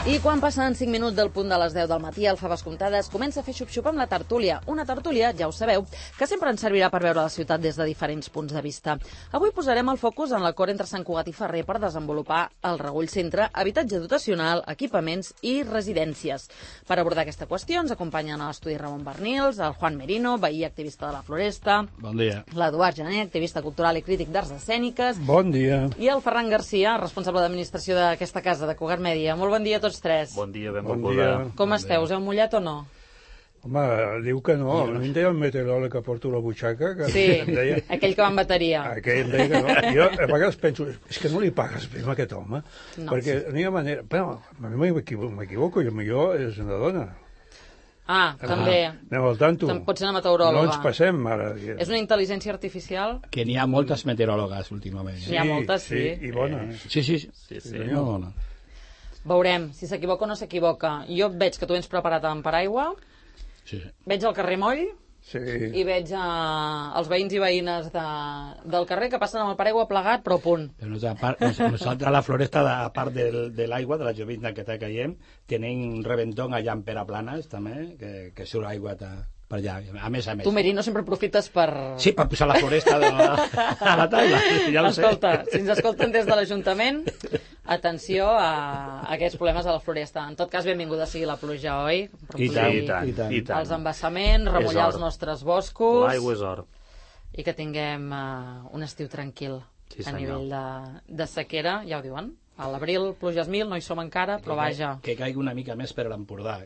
I quan passen 5 minuts del punt de les 10 del matí, el Faves Comptades comença a fer xup-xup amb la tertúlia. Una tertúlia, ja ho sabeu, que sempre ens servirà per veure la ciutat des de diferents punts de vista. Avui posarem el focus en l'acord entre Sant Cugat i Ferrer per desenvolupar el Regull Centre, habitatge dotacional, equipaments i residències. Per abordar aquesta qüestió ens acompanyen a l'estudi Ramon Bernils, el Juan Merino, veí activista de la Floresta, bon dia, l'Eduard Gené, activista cultural i crític d'arts escèniques, bon dia, i el Ferran Garcia, responsable d'administració d'aquesta casa, de Cugat Mèdia. Molt bon dia a tots tres. Bon dia, benvolguda. Com esteu? Us heu mullat o no? Home, diu que no. A mi em deia el meteoròleg que porto la butxaca. Que sí, em deia... aquell que va amb bateria. Aquell em deia que no. Jo a vegades penso, és que no li pagues bé a aquest home, perquè no hi ha manera... Però a mi m'equivoco, i millor és una dona. També. Anem al tanto. Pot ser una meteoròloga. No ens passem, ara. És una intel·ligència artificial? Que n'hi ha moltes meteoròlogues últimament. N'hi ha moltes, sí. I bones. Sí. No, bones. Veurem si s'equivoca o no s'equivoca. Jo veig que tu vens preparat amb paraigua, veig el carrer moll i veig els veïns i veïnes del carrer que passen amb el paraigua plegat, però a punt. Però nosaltres a la Floresta, a part de l'aigua, de la llovizna que està caient, tenim un reventón allà en Peraplanes, també, que surt aigua per allà, a més. Tu, Merino, sempre aprofites per... Sí, per posar la Floresta a la taula, ja ho sé. Escolta, si ens escolten des de l'Ajuntament, atenció a aquests problemes a la Floresta. En tot cas, benvinguda sigui la pluja, oi? I tant. Els embassaments, remullar els nostres boscos... L'aigua és or. I que tinguem un estiu tranquil a nivell de sequera, ja ho diuen. A l'abril, pluges 1000, no hi som encara, però vaja. Que caigui una mica més per l'Empordà.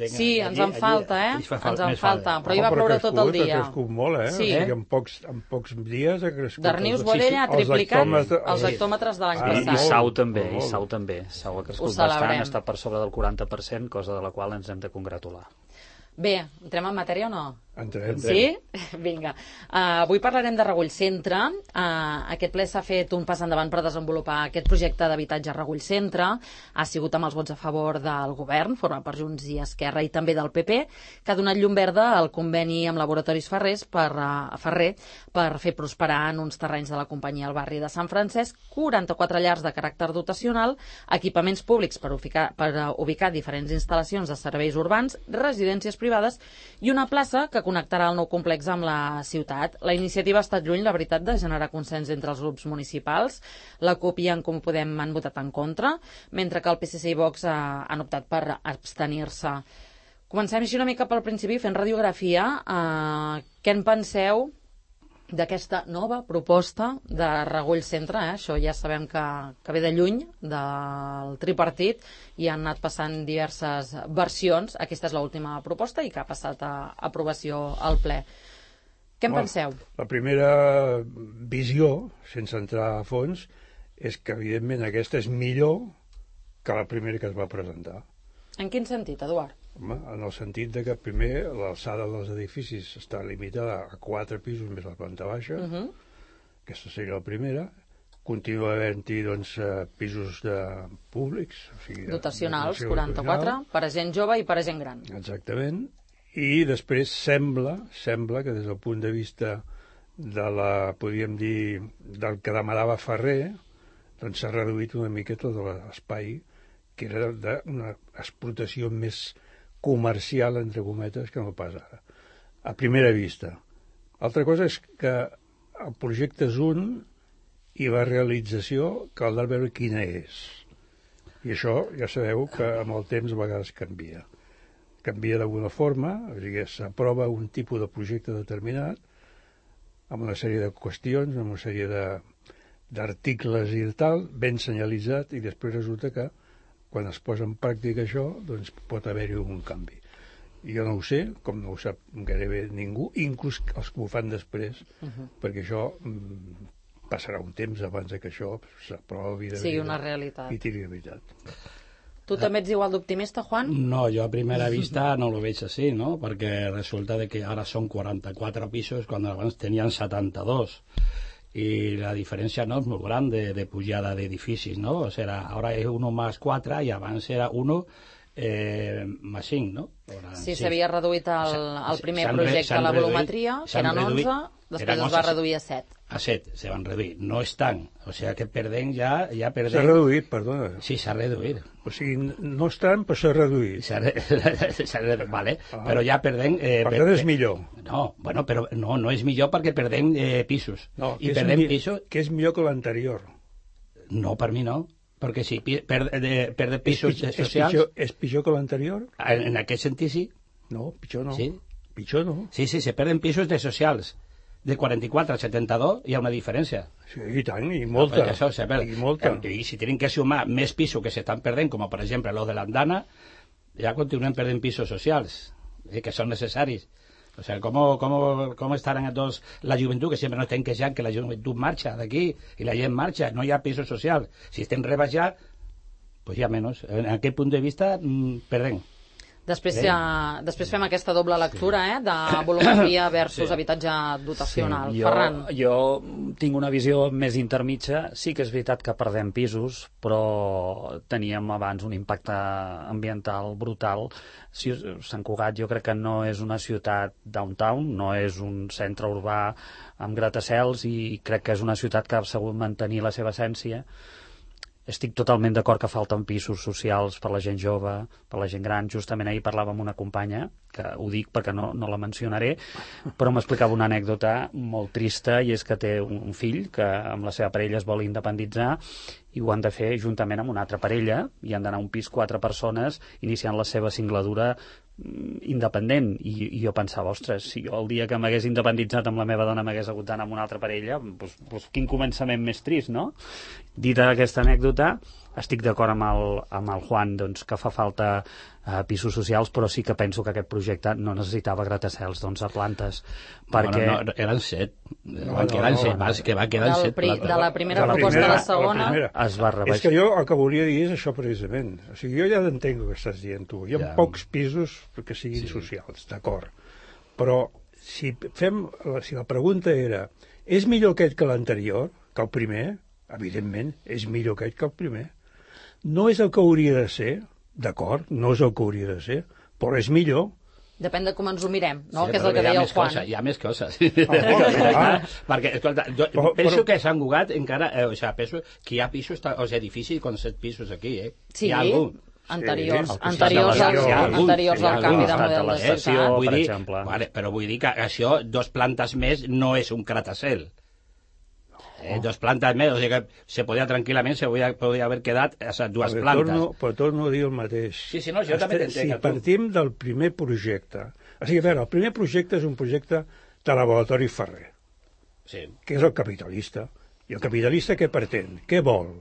Sí, ens en falta, Ens en falta, però hi va ploure tot el dia. Ha crescut molt, Sí. En pocs dies ha crescut. Darnius Boadella ha triplicat els hectòmetres de l'any passat. I Sau també. Sau ha crescut bastant, està per sobre del 40%, cosa de la qual ens hem de congratular. Bé, entrem en matèria o no? Entrem. Sí? Vinga. Avui parlarem de Regull Centre. Aquest ple s'ha fet un pas endavant per desenvolupar aquest projecte d'habitatge Regull Centre. Ha sigut amb els vots a favor del govern, format per Junts i Esquerra, i també del PP, que ha donat llum verda al conveni amb Laboratoris Ferrer per fer prosperar en uns terrenys de la companyia al barri de Sant Francesc 44 llars de caràcter dotacional, equipaments públics per ubicar diferents instal·lacions de serveis urbans, residències privades i una plaça que connectarà el nou complex amb la ciutat. La iniciativa ha estat lluny, la veritat, de generar consens entre els grups municipals. La CUP i en Comú Podem han votat en contra, mentre que el PSC i Vox han optat per abstenir-se. Comencem així una mica pel principi, fent radiografia. Què en penseu d'aquesta nova proposta de Regull Centre? Això ja sabem que ve de lluny del tripartit i han anat passant diverses versions. Aquesta és l'última proposta i que ha passat a aprovació al ple. Què en penseu? La primera visió, sense entrar a fons, és que evidentment aquesta és millor que la primera que es va presentar. En quin sentit, Eduard? Home, en el sentit de que primer l'alçada dels edificis està limitada a 4 pisos més la planta baixa. Aquesta seria la primera. Continua havent-hi pisos públics, o sigui, dotacionals, 44, per a gent jove i per a gent gran. Exactament. I després sembla que des del punt de vista podríem dir, del que demanava Ferrer, doncs s'ha reduït una miqueta de l'espai que era d'una explotació més comercial, entre cometes, que no pas ara, a primera vista. Altra cosa és que el projecte és un i la realització cal veure quina és. I això ja sabeu que amb el temps a vegades canvia. Canvia d'alguna forma, o sigui, s'aprova un tipus de projecte determinat amb una sèrie de qüestions, amb una sèrie d'articles i tal, ben senyalitzat, i després resulta que quan es posa en pràctica això, doncs pot haver-hi un canvi. Jo no ho sé, com no ho sap gairebé ningú, inclús els que ho fan després, perquè això passarà un temps abans que això s'aprovi sigui una realitat i tiri de veritat. Tu també ets igual d'optimista, Juan? No, jo a primera vista no lo veig així, no? Perquè resulta de que ara són 44 pisos quan abans tenien 72. Y la diferencia no es muy grande de pujada de edificios, ¿no? O sea, ahora es 1 más 4 y avance era 1 5, no? Sí, s'havia reduït el primer projecte a la volumetria, que eren 11, després es va reduir a 7. A 7 se van reduir, no és tant, o sigui que perdem ja perdem... S'ha reduït, perdona. Sí, s'ha reduït. O sigui, no és tant, però s'ha reduït. S'ha reduït, vale, però ja perdem... Per tant és millor. No, bueno, però no és millor perquè perdem pisos. No, I perdem pisos... Que és millor que l'anterior. No, per mi no, perquè si perde pisos socials... És pitjor que l'anterior? En aquest sentit sí. No, pitjor no. Sí? Pitjor no. Sí, se perden pisos de socials. De 44 a 72 hi ha una diferència. Sí, i tant, i molta. Això se perd. I molta. I si tenen que sumar més pisos que s'estan perdent, com per exemple los de l'Andana, ja continuem perdent pisos socials, que són necessaris. O sigui, com estaran tots la joventut, que sempre no estem queixant que la joventut marxa d'aquí i la gent marxa, no hi ha pisos socials. Si estem rebaixats, pues hi ha menys. En aquest punt de vista, perdem. Després fem aquesta doble lectura, de volumetria versus habitatge dotacional. Sí, Ferran. Jo tinc una visió més intermitja. Sí que és veritat que perdem pisos, però teníem abans un impacte ambiental brutal. Sant Cugat jo crec que no és una ciutat downtown, no és un centre urbà amb gratacels, i crec que és una ciutat que ha sabut mantenir la seva essència. Estic totalment d'acord que falten pisos socials per la gent jove, per la gent gran. Justament ahir parlava amb una companya, que ho dic perquè no la mencionaré, però m'explicava una anècdota molt trista, i és que té un fill que amb la seva parella es vol independitzar i ho han de fer juntament amb una altra parella, i han d'anar a un pis 4 persones iniciant la seva singladura independent, i jo pensava, ostres, si jo el dia que m'hagués independitzat amb la meva dona m'hagués hagut d'anar amb una altra parella, doncs quin començament més trist, no? Dita aquesta anècdota, estic d'acord amb el Juan, doncs, que fa falta pisos socials, però sí que penso que aquest projecte no necessitava gratacels d'11 plantes, perquè... No, eren 7. Eren 7, que va quedar 7 plantes. De la primera proposta a la segona es va rebaixar. És que jo el que volia dir és això precisament. O sigui, jo ja entenc el que estàs dient tu. Hi ha pocs pisos que siguin socials, d'acord. Però si la pregunta era, és millor aquest que l'anterior, que el primer? Evidentment, és millor aquest que el primer. No és el que hauria de ser, d'acord, no és el que hauria de ser, però és millor. Depèn de com ens ho mirem, no? Sí, que és el que deia el Juan. Hi ha més coses. Perquè, escolta, penso que a Sant Cugat encara... penso que hi ha pisos, edificis con 7 pisos aquí, Sí, hi ha algú. Anteriors al canvi de model de ciutat. Per exemple. Però vull dir que això, 2 plantes més, no és un gratacel. 2 plantes més, o sigui que se podia tranquil·lament, podia haver quedat a 2 plantes. Però torno a dir el mateix. Sí, no, jo també t'entenc. Si partim del primer projecte... O sigui, a veure, el primer projecte és un projecte de laboratori Ferrer, que és el capitalista. I el capitalista què pretén? Què vol?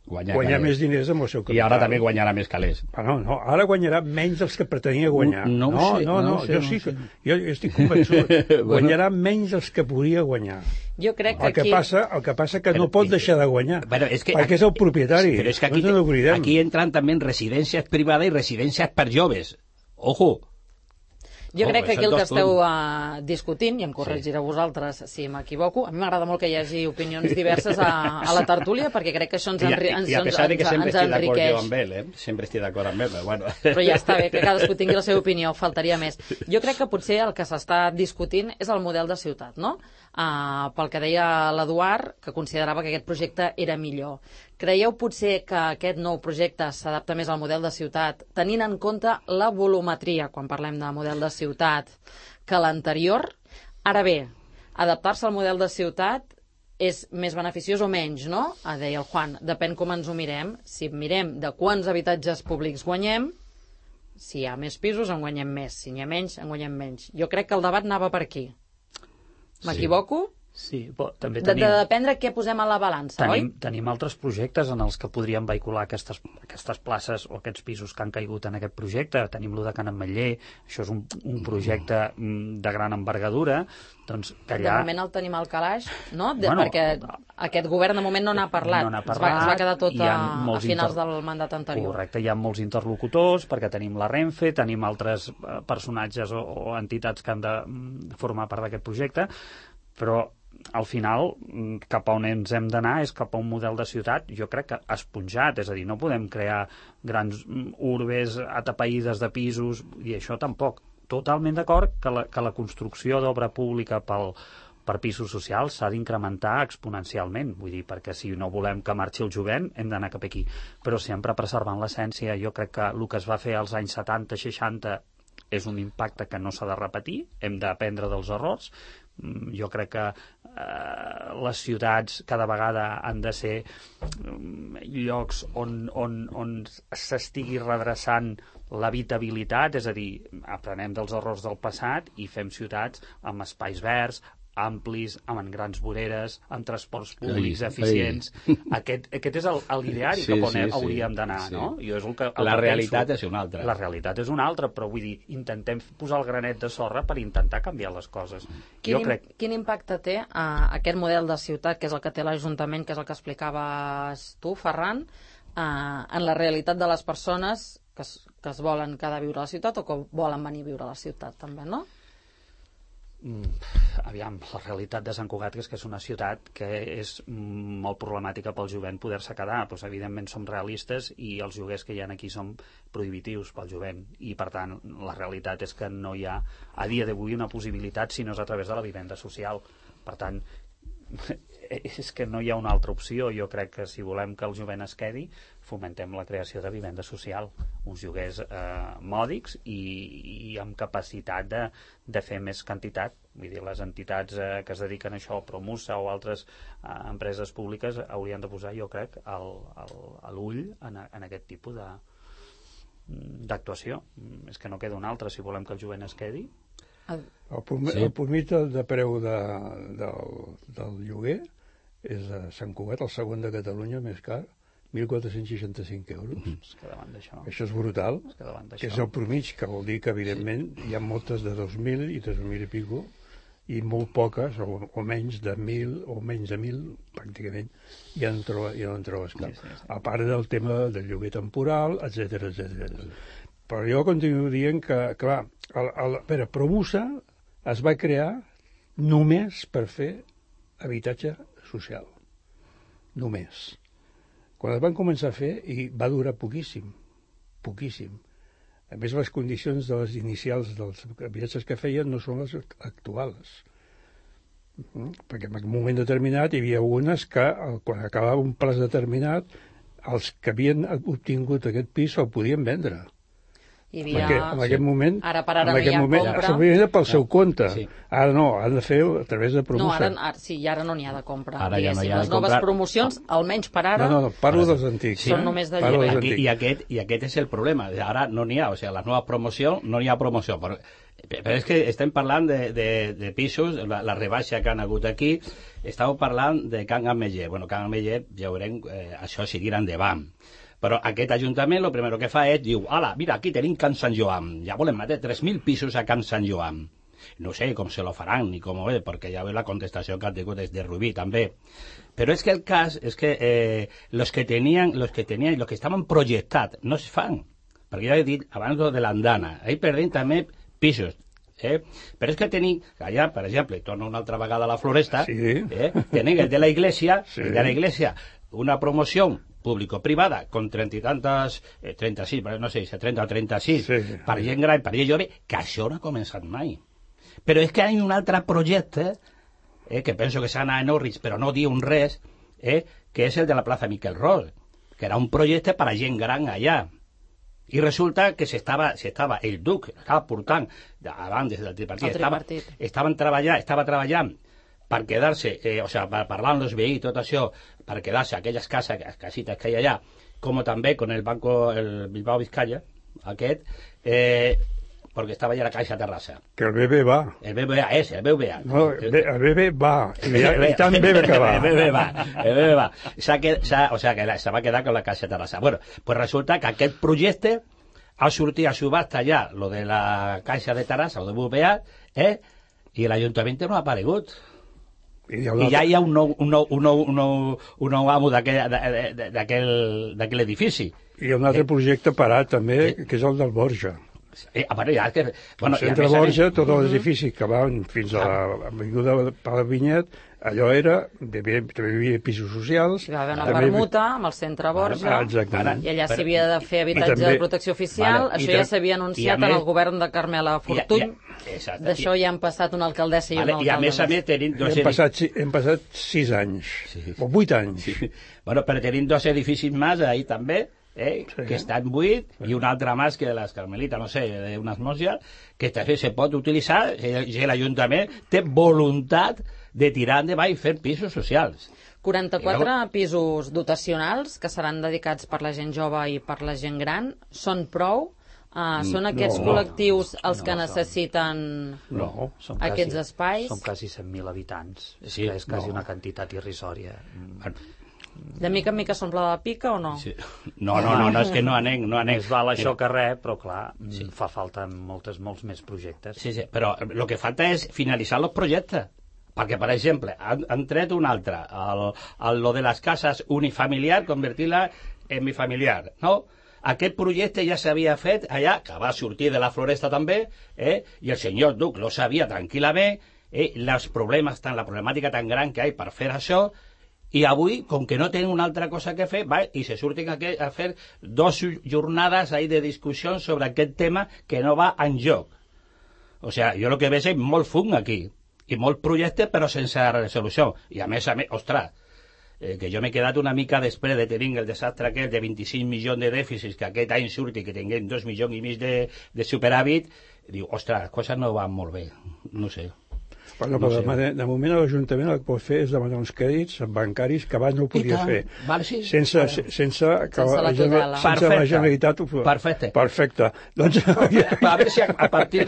Guanyar més diners amb el seu capital. I ara també guanyarà més calés. No, ara guanyarà menys dels que pretenia guanyar. No, jo estic convençut. Guanyarà menys dels que podria guanyar. Jo crec que el que passa que no pot deixar de guanyar, perquè és el propietari. Però és que aquí entran també residències privades i residències per joves. Ojo! Jo crec que aquí el que esteu discutint, i em corregireu vosaltres si m'equivoco, a mi m'agrada molt que hi hagi opinions diverses a la tertúlia, perquè crec que això ens enriqueix. I a pesar de que sempre estic d'acord jo amb ell, sempre estic d'acord amb ell, però bueno. Però ja està bé, que cadascú tingui la seva opinió, faltaria més. Jo crec que potser el que s'està discutint és el model de ciutat, no? Pel que deia l'Eduard, que considerava que aquest projecte era millor. Creieu potser que aquest nou projecte s'adapta més al model de ciutat, tenint en compte la volumetria, quan parlem de model de ciutat, que l'anterior? Ara bé, adaptar-se al model de ciutat és més beneficiós o menys, no? Deia el Juan, depèn com ens ho mirem. Si mirem de quants habitatges públics guanyem, si hi ha més pisos en guanyem més, si n'hi ha menys en guanyem menys. Jo crec que el debat anava per aquí. M'equivoco? Sí, però també tenim... De dependre què posem a la balança, oi? Tenim altres projectes en els que podríem vehicular aquestes places o aquests pisos que han caigut en aquest projecte. Tenim lo de Can Ametller, això és un projecte de gran envergadura. Doncs que allà... De moment el tenim al calaix, no? Perquè aquest govern de moment no n'ha parlat. Es va quedar tot a finals del mandat anterior. Correcte, hi ha molts interlocutors, perquè tenim la Renfe, tenim altres personatges o entitats que han de formar part d'aquest projecte, però al final, cap a on ens hem d'anar és cap a un model de ciutat, jo crec que esponjat, és a dir, no podem crear grans urbes atapeïdes de pisos, i això tampoc. Totalment d'acord que la construcció d'obra pública per pisos socials s'ha d'incrementar exponencialment, vull dir, perquè si no volem que marxi el jovent hem d'anar cap aquí, però sempre preservant l'essència. Jo crec que el que es va fer als anys 70-60 és un impacte que no s'ha de repetir, hem d'aprendre dels errors. Jo crec que les ciutats cada vegada han de ser llocs on s'estigui redreçant l'habitabilitat, és a dir, aprenem dels errors del passat i fem ciutats amb espais verds, amplis, amb grans voreres, amb transports públics eficients. Aquest és l'ideari cap on hauríem d'anar, no? Jo és el que realitat és una altra. La realitat és una altra, però vull dir, intentem posar el granet de sorra per intentar canviar les coses. Quin impacte té aquest model de ciutat, que és el que té l'Ajuntament, que és el que explicaves tu, Ferran, en la realitat de les persones que es volen quedar a viure a la ciutat o que volen venir a viure a la ciutat, també, no? Aviam, la realitat de Sant Cugat és que és una ciutat que és molt problemàtica pel jovent poder-se quedar. Doncs, evidentment som realistes i els lloguers que hi ha aquí són prohibitius pel jovent i per tant la realitat és que no hi ha a dia d'avui una possibilitat si no és a través de la vivenda social. Per tant, és que no hi ha una altra opció. Jo crec que si volem que el jovent es quedi, fomentem la creació de vivenda social, uns lloguers mòdics i amb capacitat de fer més quantitat. Vull dir, les entitats que es dediquen a això, Promusa o altres empreses públiques, haurien de posar, jo crec, l'ull en aquest tipus d'actuació. És que no queda una altra si volem que el jovent es quedi. El promit de preu del lloguer és a Sant Cugat, el segon de Catalunya més car, 1.465 euros. És que davant d'això... Això és brutal, que és el promig, que vol dir que, evidentment, hi ha moltes de 2.000 i 3.000 i pico, i molt poques, o menys de 1.000, o menys de 1.000, pràcticament, ja no en trobes cap. A part del tema del lloguer temporal, etc. Però jo continuo dient que, clar, Promusa es va crear només per fer habitatge social. Només. Quan es van començar a fer, i va durar poquíssim. A més, les condicions de les inicials dels habitatges que feien no són les actuals. Perquè en un moment determinat hi havia unes que, quan acabava un plaç determinat, els que havien obtingut aquest pis el podien vendre. Perquè en aquest moment ara no hi ha compra. S'havia pel seu compte. Ara no, han de fer a través de Promusa. Ara no n'hi ha de compra. Ara ja no hi ha de les noves promocions, almenys per ara... No, parlo dels antics. Són només de lloguer. I aquest és el problema. Ara no n'hi ha, o sigui, la nova promoció, no n'hi ha promoció. Però és que estem parlant de pisos, la rebaixa que han hagut aquí, estàvem parlant de Can Ameller. Bueno, Can Ameller, ja veurem, això seguirà endavant. Però aquest ajuntament el primer que fa és, diu, ala, mira, aquí tenim Can Sant Joan, ja volem metre 3.000 pisos a Can Sant Joan. No sé com se lo faran ni com ho és, perquè ja ve la contestació que han tingut des de Rubí, també. Però és que el cas és que los que tenien i los que estaven projectats no es fan. Perquè ja he dit abans de l'andana, ahí perdem també pisos. Però és que tenim, allà, per exemple, torno una altra vegada a la Floresta, tenim el de la Iglesia, una promoció público-privada, con 30 i tantes, 36, no sé, 30 o 36, per gent gran, per gent jove, que això no ha començat mai. Però és que hi ha un altre projecte, que penso que s'ha anat a Norris, però no diu res, que és el de la plaça Miquel Ros, que era un projecte per a gent gran allà. I resulta que estava el Duc, estava portant, abans del tripartit, estava treballant per quedar-se, o sigui, per parlar amb els veïns i tot això, per quedar-se aquelles casitas que hi ha allà, com també con el Banco, el Bilbao Vizcaya, aquest, perquè estava allà la Caixa Terrassa. Que el BB va. El BBA és, el BBA. No, el BB va, i tant BB que va. El BB va. O sigui, que se va quedar con la Caixa Terrassa. Bueno, pues resulta que aquest projecte ha sortit a subhasta ja, lo de la Caixa de Terrassa, lo de BBA, i l'Ajuntament no ha aparegut. I ja hi ha un nou amo d'aquell edifici. I un altre projecte parat també, que és el del Borja. A veure, ja que... Bueno, el centre Borja, tot l'edifici que van fins a l'avinguda Pal Vinyet, allò era, també hi havia pisos socials... Hi va haver una permuta amb el centre Borja, exactament. i allà s'havia de fer habitatge de protecció oficial, això ja s'havia anunciat en el govern de Carmela Fortuny, d'això ja han passat una alcaldessa i un alcalde. I a més tenim dos hem passat 6 anys, o 8 anys. Bueno, però tenim 2 edificis més ahí també, que estan buits, i un altre més que de les Carmelites, no sé, d'unes mòsies, que també se pot utilitzar, i l'Ajuntament té voluntat de tirar endavant i fer pisos socials. 44 pisos dotacionals que seran dedicats per la gent jove i per la gent gran. Són prou? Són aquests col·lectius els que necessiten aquests espais? Són quasi 100.000 habitants. És quasi una quantitat irrisòria. De mica en mica s'omple la pica o no? Sí. No, és que no anem. Més val això que res, però clar, fa falta molts més projectes. Sí, però el que falta és finalitzar els projectes. Perquè, per exemple, han tret un altre, lo de les cases unifamiliar, convertir-la en bifamiliar, no? Aquest projecte ja s'havia fet allà, que va sortir de la Floresta també, i el senyor Duc lo sabia tranquil·lament, la problemàtica tan gran que hi ha per fer això, i avui, com que no tenen una altra cosa que fer, i se surten a fer 2 jornades de discussió sobre aquest tema que no va enlloc. O sigui, jo el que veig és molt fum aquí, i molt projecte però sense resolució. I a més, ostres, que jo m'he quedat una mica després de tenir el desastre aquest de 25 milions de dèficits que aquest any surti, que tinguem 2 milions i mig de superàvit, diu, ostres, les coses no van molt bé, no sé. Bueno, però de moment l'Ajuntament el que pot fer és demanar uns crèdits bancaris que abans no ho podia fer. Sense la Generalitat ho fes. Perfecte. Doncs... A veure si a partir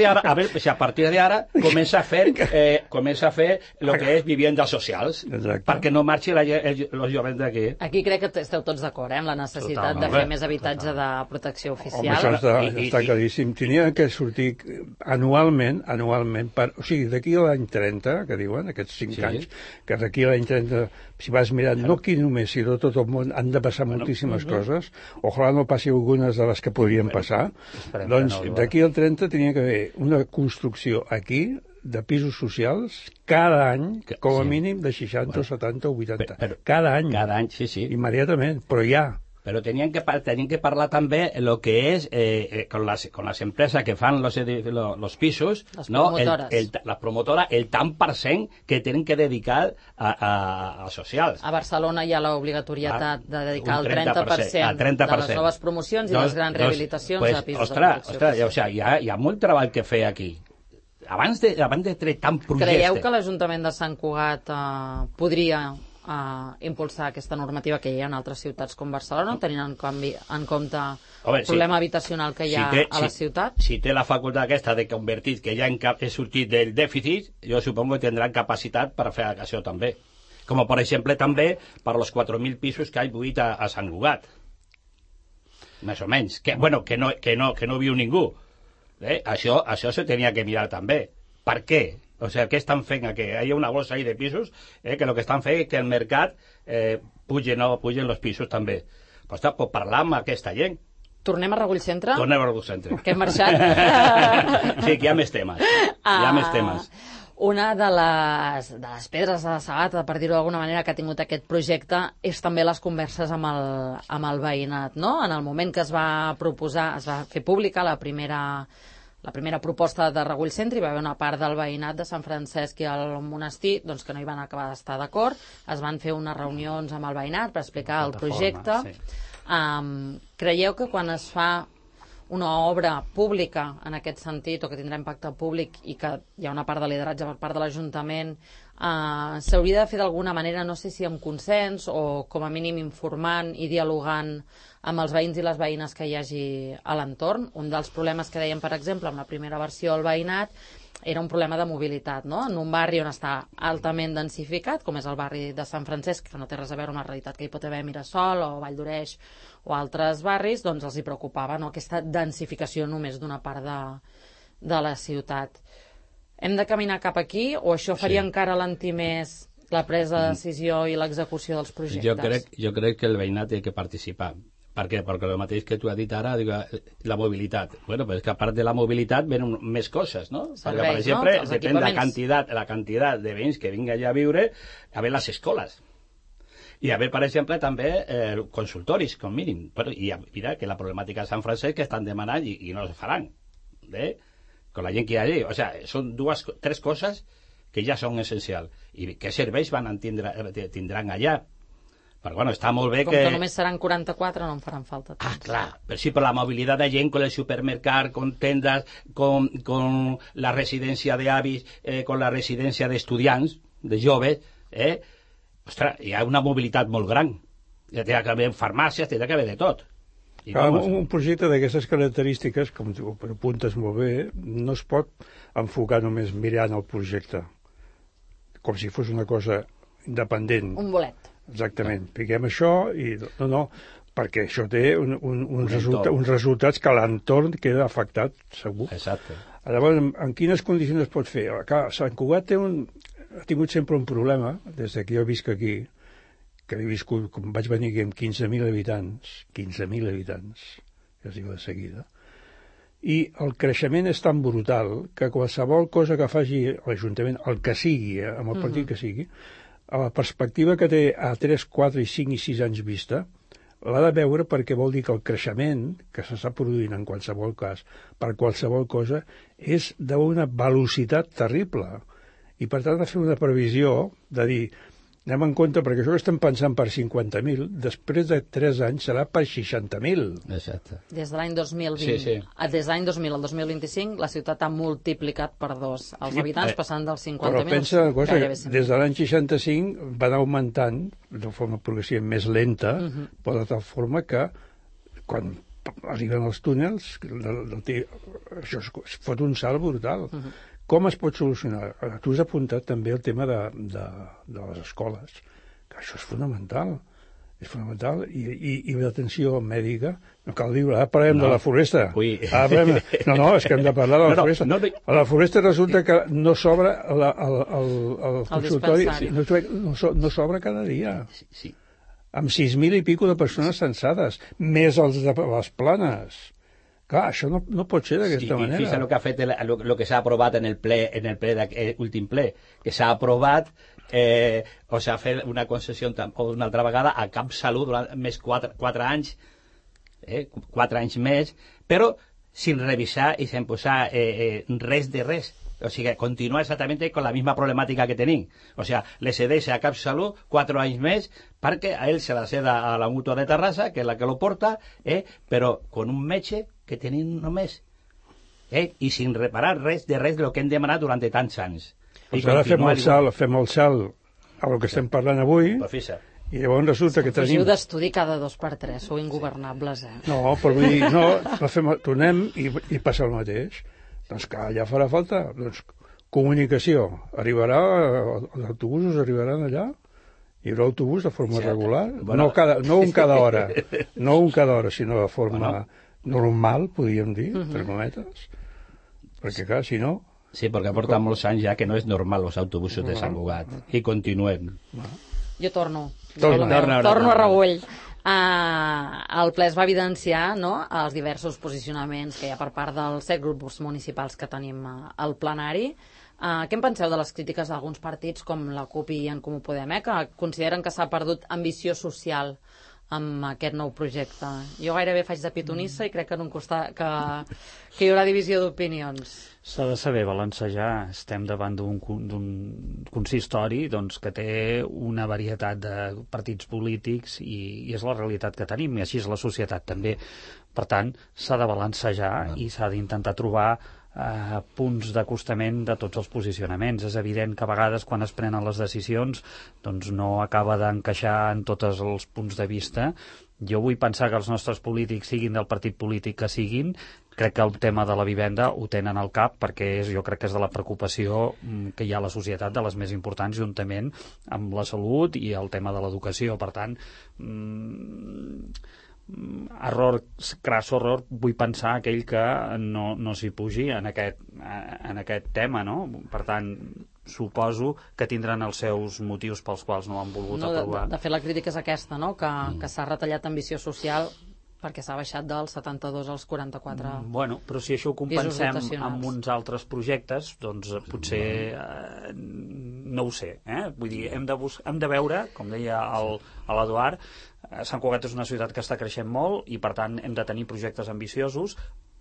d'ara comença a fer el que és viviendes socials, perquè no marxi els joves d'aquí. Aquí crec que esteu tots d'acord, amb la necessitat de fer més habitatge de protecció oficial. Home, això està claríssim. Tenia que sortir anualment, o sigui, d'aquí a l'any 30, que diuen, aquests 5 anys, que d'aquí a l'any 30, si vas mirant, no aquí només, sinó tot el món, han de passar moltíssimes coses. Ojalà no passi algunes de les que podrien passar. Doncs d'aquí al 30 tenia que haver una construcció aquí de pisos socials cada any, com a mínim de 60, 70 o 80. Cada any. Cada any, sí. Immediatament, però ja. Però tenien que parlar també el que és con las empresas que fan los pisos, la promotora, el tant % que tenen que dedicar a socials. A Barcelona hi ha l'obligatorietat de dedicar el 30% de les noves promocions i les grans rehabilitacions a pisos de protecció. Ostres, hi ha molt treball que fer aquí. Abans de treure tant projecte... Creieu que l'Ajuntament de Sant Cugat podria impulsar aquesta normativa que hi ha en altres ciutats com Barcelona, tenint en compte el problema habitacional que hi ha a la ciutat? Si té la facultat aquesta de convertir que ja he sortit del dèficit, jo supongo que tindran capacitat per fer això també. Com per exemple també per els 4.000 pisos que hi ha buit a Sant Cugat. Més o menys. Que no viu ningú. Això se tenia que mirar també. Per què? O sigui, què estan fent aquí? Hi ha una bossa ahí de pisos que el que estan fent és que el mercat pugen els pisos també. Pues pot parlar amb aquesta gent. Tornem a Regull Centre? Tornem a Regull Centre. Que hem marxat. Sí, que hi ha més temes. Una de les pedres de la sabata, per dir-ho d'alguna manera, que ha tingut aquest projecte és també les converses amb el veïnat, no? En el moment que es va proposar, es va fer pública la primera proposta de Regull Centre, hi va haver una part del veïnat de Sant Francesc i el monestir doncs, que no hi van acabar d'estar d'acord. Es van fer unes reunions amb el veïnat per explicar el projecte. Creieu que quan es fa una obra pública en aquest sentit, o que tindrà impacte públic i que hi ha una part de lideratge per part de l'Ajuntament, s'hauria de fer d'alguna manera, no sé si amb consens o com a mínim informant i dialogant amb els veïns i les veïnes que hi hagi a l'entorn? Un dels problemes que dèiem, per exemple, amb la primera versió del veïnat era un problema de mobilitat, no? En un barri on està altament densificat, com és el barri de Sant Francesc, que no té res a veure amb la realitat que hi pot haver a Mirasol o Vall d'Oreix o altres barris, doncs els hi preocupava, no?, aquesta densificació només d'una part de la ciutat. Hem de caminar cap aquí o això faria encara alentir més la presa de decisió i l'execució dels projectes? Jo crec que el veïnat té que participar, Per què? Perquè el mateix que tu has dit ara, la mobilitat. Bueno, però és que a part de la mobilitat venen més coses, no? Serveis, perquè, per exemple, no? depèn de la quantitat de veïns que vinga allà a viure, a veure les escoles. I a veure, per exemple, també consultoris, com mínim. Però, i mira que la problemàtica de Sant Francesc que estan demanant i no es faran. Con la gent que hi ha allí. O sigui, són tres coses que ja són essencials. I què serveis tindran allà? Però, bueno, està molt bé Com que només seran 44, no en faran falta temps. Ah, clar, però sí, per la mobilitat de gent, con el supermercat, con tendas, con la residència d'avis, con la residència d'estudiants, de joves, ostres, hi ha una mobilitat molt gran. Hi ha que haver farmàcies, hi ha que haver de tot. Clar, un projecte d'aquestes característiques, com tu apuntes molt bé, no es pot enfocar només mirant el projecte, com si fos una cosa independent. Un bolet. Exactament, piquem això i no, perquè això té uns resultats que l'entorn queda afectat, segur. Exacte. Llavors, en quines condicions es pot fer? Clar, Sant Cugat ha tingut sempre un problema, des que jo visc aquí, que he viscut, com vaig venir aquí amb 15.000 habitants, que es diu de seguida, i el creixement és tan brutal que qualsevol cosa que faci l'Ajuntament, el que sigui, amb el partit que sigui, a la perspectiva que té a 3, 4, 5 i 6 anys vista, l'ha de veure perquè vol dir que el creixement que s'està produint en qualsevol cas, per qualsevol cosa, és d'una velocitat terrible. I per tant, de fer una previsió, de dir, anem en compte, perquè això que estem pensant per 50.000, després de 3 anys serà per 60.000. Exacte. Des de l'any 2020. Sí. Des de l'any 2000 al 2025, la ciutat ha multiplicat per 2 els habitants, passant dels 50.000. Però pensa una cosa, des de l'any 65 van augmentant de forma progressiva més lenta, però de tal forma que quan arriben els túnels, això es fot un salt brutal. Com es pot solucionar? Tu has apuntat també el tema de les escoles, que això és fonamental. És fonamental. I l'atenció mèdica, no cal dir, ara parlem de la foresta. No, és que hem de parlar de la foresta. A la foresta resulta que no s'obre el consultori, no s'obre cada dia. Sí. Amb 6.000 i pico de persones censades, més els de les planes. Clar, això no pot ser d'aquesta manera. Fíjate lo que ha fet lo que s'ha aprovat en el ple últim ple, que s'ha aprovat o s'ha fet una concessió una altra vegada a CapSalut durant més 4 anys, 4 anys més, però sin revisar i sin posar res de res. O sigui, continua exactament amb la misma problemàtica que tenim. O sigui, le cedeix a CapSalut 4 anys més perquè a ell se la ceda a la Mútua de Terrassa, que és la que lo porta, però con un metge que tenim només, i sin reparar res de lo que hem demanat durant tants anys. Doncs ara fem el salt a lo que estem parlant avui, i llavors resulta que tenim... Fugiu d'estudi cada 2 per 3, sou ingovernables, No, però vull dir, tornem i passa el mateix. Doncs que ja farà falta, comunicació. Arribarà, els autobusos arribaran allà? Hi haurà autobús de forma regular? No un cada hora, sinó de forma normal, podríem dir, termometres, perquè clar, si no... Sí, perquè porta molts anys ja que no és normal els autobusos de Sant Cugat, i continuem. Jo torno a Regull. El ple es va evidenciar els diversos posicionaments que hi ha per part dels 7 grups municipals que tenim al plenari. Què en penseu de les crítiques d'alguns partits com la CUP i en Comú Podem, que consideren que s'ha perdut ambició social amb aquest nou projecte? Jo gairebé faig de pitonissa i crec que hi haurà divisió d'opinions. S'ha de saber balancejar. Estem davant d'un consistori que té una varietat de partits polítics i és la realitat que tenim, i així és la societat també. Per tant, s'ha de balancejar i s'ha d'intentar trobar punts d'acostament de tots els posicionaments. És evident que a vegades quan es prenen les decisions no acaba d'encaixar en tots els punts de vista. Jo vull pensar que els nostres polítics, siguin del partit polític que siguin, crec que el tema de la vivenda ho tenen al cap, perquè jo crec que és de la preocupació que hi ha a la societat de les més importants, juntament amb la salut i el tema de l'educació. Per tant, crass horror, vull pensar aquell que no s'hi pugi en aquest tema, no? Per tant, suposo que tindran els seus motius pels quals no han volgut aprovar. De fet, la crítica és aquesta, no? Que s'ha retallat ambició social perquè s'ha baixat dels 72 als 44. Bueno, però si això ho compensem amb uns altres projectes, doncs potser no ho sé, vull dir, hem de veure, com deia l'Eduard, Sant Cugat és una ciutat que està creixent molt i per tant hem de tenir projectes ambiciosos,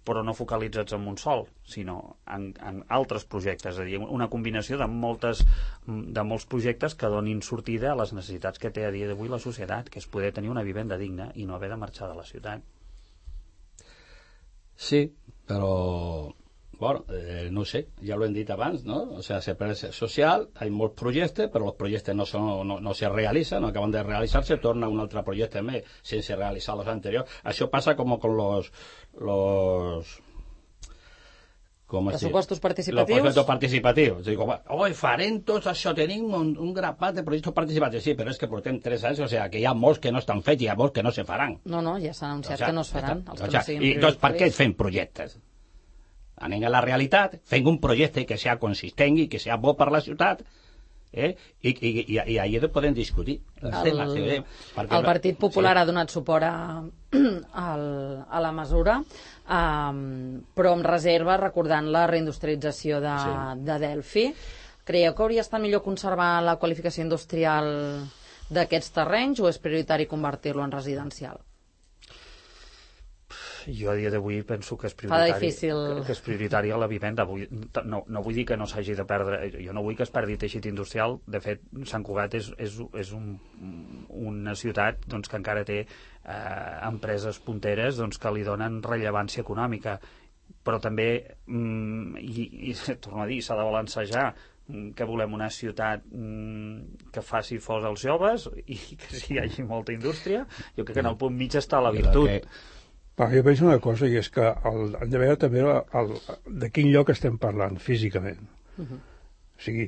però no focalitzats en un sol, sinó en altres projectes, és a dir, una combinació de molts projectes que donin sortida a les necessitats que té a dia d'avui la societat, que és poder tenir una vivenda digna i no haver de marxar de la ciutat. Sí, però bueno, no sé, ja lo hem dit abans, ¿no? O sea, se parece social, hay molts projectes, però els projectes no se realitzan, no acaban de realitzar-se, torna un altre projecte més sense realitzar els anteriors. Això passa com con los pressupostos participatius. Los proyectos participativos. Digo, farem tots això, tenim un grapat de projectes participatius. Sí, però és que portem 3 anys, o sea, que hi ha molts que no estan fets i hi ha molts que no se faran. No, ja s'ha anunciat que no es faran. I doncs per què fem projectes? Anem a la realitat, fem un projecte que sigui consistent i que sigui bo per la ciutat, i allà podem discutir els temes. El Partit Popular ha donat suport a la mesura, però amb reserva, recordant la reindustrialització de Delphi. Creieu que hauria estat millor conservar la qualificació industrial d'aquests terrenys o és prioritari convertir-lo en residencial? Jo a dia d'avui penso que és prioritari a la vivenda. No vull dir que no s'hagi de perdre, jo no vull que es perdi teixit industrial. De fet, Sant Cugat és una ciutat doncs, que encara té empreses punteres doncs, que li donen rellevància econòmica, però també i torno a dir, s'ha de balancejar que volem una ciutat que faci fos als joves i que hi hagi molta indústria. Jo crec que en el punt mig està la virtut. Jo penso una cosa, i és que hem de veure també de quin lloc estem parlant físicament. O sigui,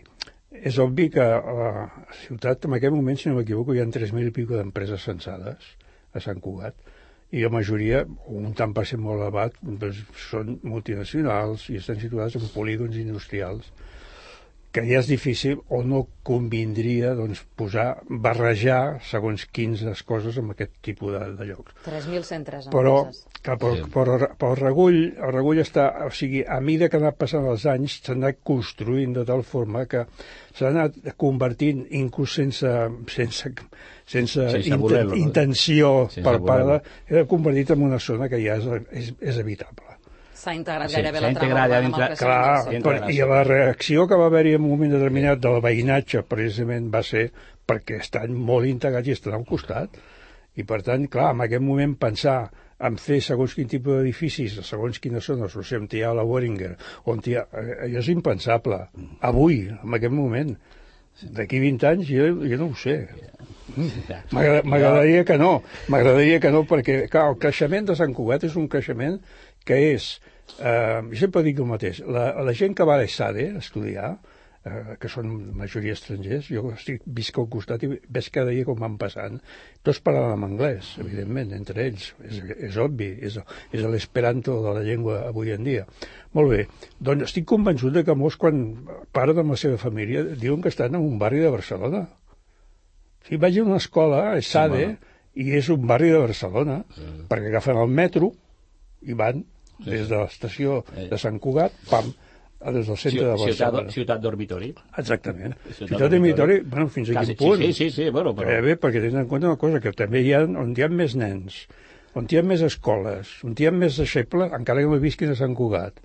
és obvi que a la ciutat, en aquest moment, si no m'equivoco, hi ha 3.000 i pico d'empreses censades a Sant Cugat, i la majoria, un tant per cent molt elevat, doncs, són multinacionals i estan situades en polígons industrials, que ja és difícil o no convindria doncs, barrejar segons quines coses amb aquest tipus de llocs. 3.103 empreses. Però el Regull està... O sigui, a mesura que han anat passant els anys, s'ha anat construint de tal forma que s'ha anat convertint, inclús sense intenció per part de... convertit en una zona que ja és habitable. S'ha integrat gairebé la trama urbana amb el creixement. Clar, i la reacció que va haver-hi en un moment determinat del veïnatge precisament va ser perquè estan molt integrats i estan al costat. I per tant, clar, en aquest moment pensar en fer segons quin tipus d'edificis, segons quines zones, o sigui, on hi ha la Boehringer, allò és impensable. Avui, en aquest moment. D'aquí 20 anys jo no ho sé. M'agradaria que no, perquè clar, el creixement de Sant Cugat és un creixement que és, jo sempre dic el mateix, la gent que va a l'ESADE a estudiar, que són majoria estrangers, jo visc al costat i ves cada dia com van passant, tots parlen en anglès, evidentment, entre ells, és obvi, és l'esperanto de la llengua avui en dia. Molt bé, doncs estic convençut que molts quan parlen amb la seva família diuen que estan en un barri de Barcelona. Si vaig a una escola, a ESADE, i és un barri de Barcelona, perquè agafen el metro i van des de l'estació de Sant Cugat, des del centre de Barcelona. Ciutat dormitori. Exactament. Ciutat dormitori, bueno, fins a quin punt. Sí, bueno, però... Bé, perquè tenen en compte una cosa, que també hi ha, on hi ha més nens, on hi ha més escoles, on hi ha més deixebles, encara que no visquin a Sant Cugat.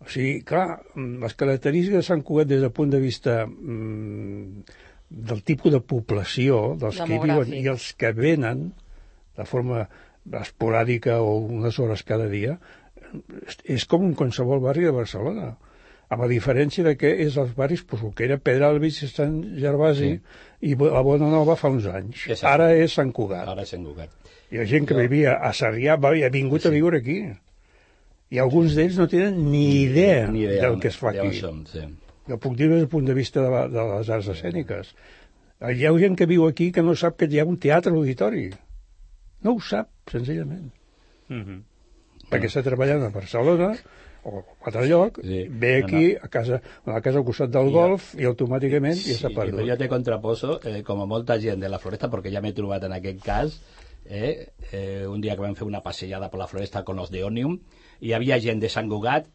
O sigui, clar, les característiques de Sant Cugat des del punt de vista del tipus de població, dels que hi viuen i els que venen de forma esporàdica o unes hores cada dia, és com un qualsevol barri de Barcelona, amb la diferència de que és els barris, el que era Pedralbes i Sant Gervasi i la Bonanova fa uns anys. Ara és Sant Cugat. Hi ha gent que vivia a Sarrià i ha vingut a viure aquí. I alguns d'ells no tenen ni idea del que es fa aquí. Jo puc dir des del punt de vista de les arts escèniques. Hi ha gent que viu aquí que no sap que hi ha un teatre auditori. No ho sap, senzillament. Perquè està treballant a Barcelona o a altre lloc, ve aquí a casa al costat del golf i automàticament ja s'ha perdut. Jo te contraposo, com a molta gent de la Floresta, perquè ja m'he trobat en aquest cas, un dia que vam fer una passejada per la floresta con los de Òmnium, hi havia gent de Sant Cugat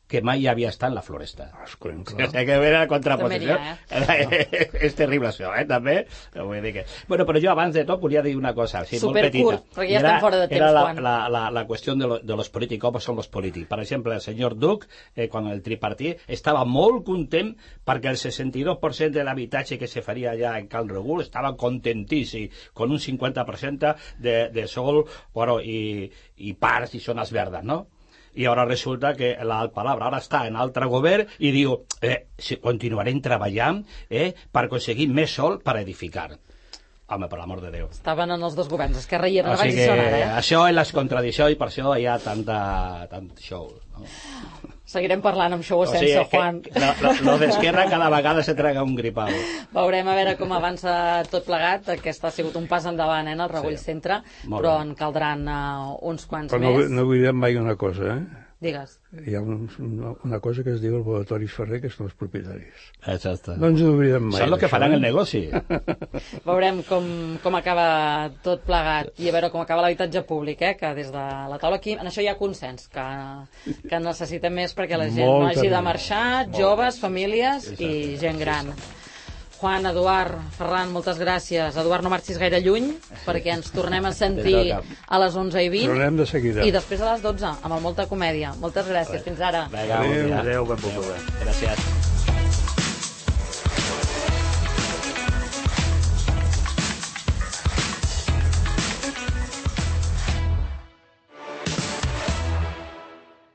que mai havia estat en la floresta. Escolta, O sigui, que era la contraposició. També És terrible això, també. Vull dir que... Bueno, però jo abans de tot volia dir una cosa, sí, molt petita. Supercurt, perquè ja estem fora de temps, Juan. Era la qüestió de los polítics, com són los polítics. Per exemple, el senyor Duc, quan el tripartit, estava molt content perquè el 62% de l'habitatge que se faria allà en Cal Regul estava contentíssim, con un 50% de sol, bueno, i parcs i zones verdes, no? I ara resulta que la palabra ara està en altre govern i diu continuarem treballant per aconseguir més sol per edificar. Home, per l'amor de Déu. Estaven en els dos governs, Esquerra i O abans sigui hi són ara, això és les contradiccions i per això hi ha tant show. No? Seguirem parlant amb show o sense, Juan. Lo d'Esquerra cada vegada se traga un gripau. Veurem a veure com avança tot plegat. Aquest ha sigut un pas endavant, el Regull Centre, però en caldran uns quants però més. no oblidem mai una cosa, Digues. Hi ha una cosa que es diu el laboratori Ferrer, que són els propietaris. Exacte. No ens oblidem mai. Són el que faran el negoci. Veurem com acaba tot plegat i a veure com acaba l'habitatge públic, que des de la taula aquí, en això hi ha consens, que necessitem més perquè la gent no hagi de marxar, joves, famílies i gent gran. Juan, Eduard, Ferran, moltes gràcies. Eduard, no marxis gaire lluny, perquè ens tornem a sentir a les 11:20. Tornem de seguida. I després a les 12, amb el Molta Comèdia. Moltes gràcies, fins ara. Adéu, ben poc. Gràcies.